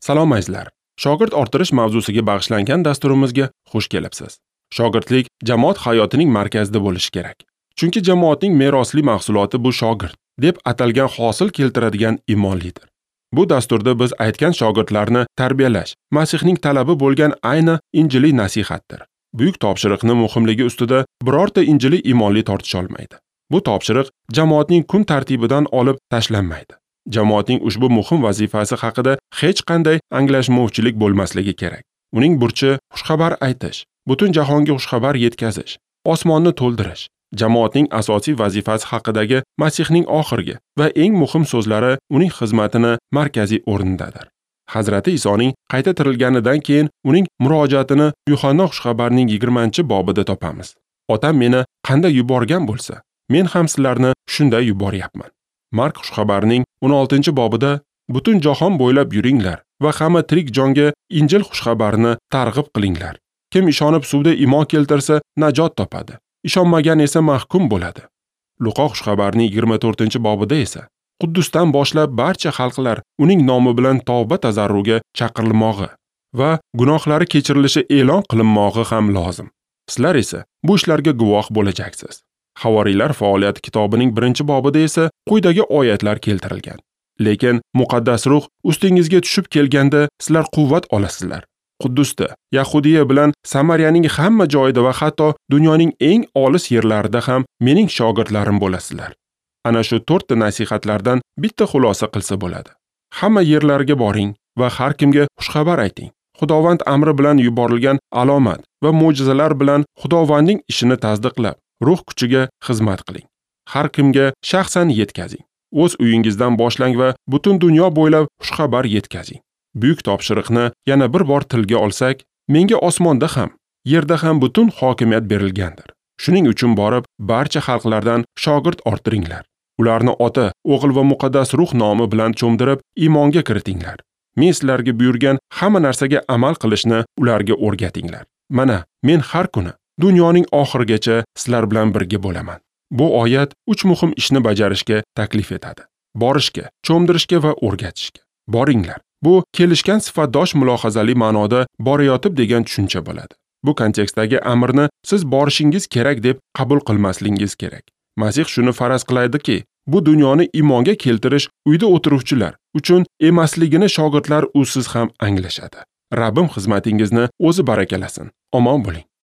Salom azizlar. Shogird orttirish mavzusiga bag'ishlangan dasturimizga xush kelibsiz. Shogirdlik jamoat hayotining markazida bo'lishi kerak. Chunki jamoatning merosli mahsuloti bu shogird deb atalgan hosil keltiradigan imonlidir. Bu dasturda biz aytgan shogirdlarni tarbiyalash Masihning talabi bo'lgan ayni injiliy nasihatdir. Buyuk topshiriqni muhimligi ustida birorta injiliy imonli tortisha olmaydi. Bu topshiriq jamoatning kun tartibidan olib tashlanmaydi. Jamoatning ushbu muhim vazifasi haqida hech qanday anglashmovchilik bo'lmasligi kerak. Uning burchi xushxabar aytish, butun jahonga xushxabar yetkazish, osmonni to'ldirish. Jamoatning asosiy vazifasi haqidagi Masihning oxirgi va eng muhim so'zlari uning xizmatini markaziy o'rnidadir. Hazrati Isoning qayta tirilganidan keyin uning murojaatini Yuhanna xushxabarining 20-bobida topamiz. Otam meni qanday yuborgan bo'lsa, men ham sizlarni shunday yuboryapman. Mark xushxabarining 16-bobida butun jahon bo'ylab yuringlar va hamma tirik jonga Injil xushxabarini targ'ib qilinglar. Kim ishonib suvda iymon keltirsa, najot topadi. Ishonmagan esa mahkum bo'ladi. Luqo xushxabarining 24-bobida esa Quddusdan boshlab barcha xalqlar uning nomi bilan tavba tazarruga chaqirilmog'i va gunohlari kechirilishi e'lon qilinmog'i ham lozim. Sizlar esa bu ishlarga guvoh bo'lajaksiz. Havoriylar faoliyati kitobining 1-bobida esa quyidagi oyatlar keltirilgan. Lekin muqaddas ruh ustingizga tushib kelganda sizlar quvvat olasizlar. Quddusda, Yahudiya bilan Samariyaning hamma joyida va hatto dunyoning eng olis yerlarida ham mening shogirdlarim bo'lasizlar. Ana shu 4 ta nasihatlardan bitta xulosa qilsa bo'ladi. Hamma yerlarga boring va har kimga xushxabar ayting. Xudovand amri bilan yuborilgan alomat va mo'jizalar bilan Xudovandning ishini tasdiqlab, ruh kuchiga xizmat qiling. Har kimga shaxsan yetkazing. O'z uyingizdan boshlang va butun dunyo bo'ylab xushxabar yetkazing. Buyuk topshiriqni yana bir bor tilga olsak, menga osmonda ham, yerda ham butun hokimiyat berilgandir. Shuning uchun borib, barcha xalqlardan shogird orttiringlar. Ularni Ota, O'g'il va Muqaddas Ruh nomi bilan cho'mdirib, iymonga kiritinglar. Men sizlarga buyurgan hamma narsaga amal qilishni ularga o'rgatinglar. Mana, men har kuni dunyoning oxirigacha sizlar bilan birga bo'laman. Bu oyat 3 muhim ishni bajarishga taklif etadi. Borishga, cho'mdirishga va o'rgatishga. Boringlar. Bu kelishgan sifatdosh mulohazali ma'noda borayotib degan tushuncha bo'ladi. Bu kontekstdagi amrni siz borishingiz kerak deb qabul qilmasligingiz kerak. Masih shuni faraz qiladiki, bu dunyoni iymonga keltirish uyda o'tiruvchilar uchun emasligini shogirdlar usiz ham anglashadi. Rabbim xizmatingizni o'zi barakalasin. Omon bo'ling.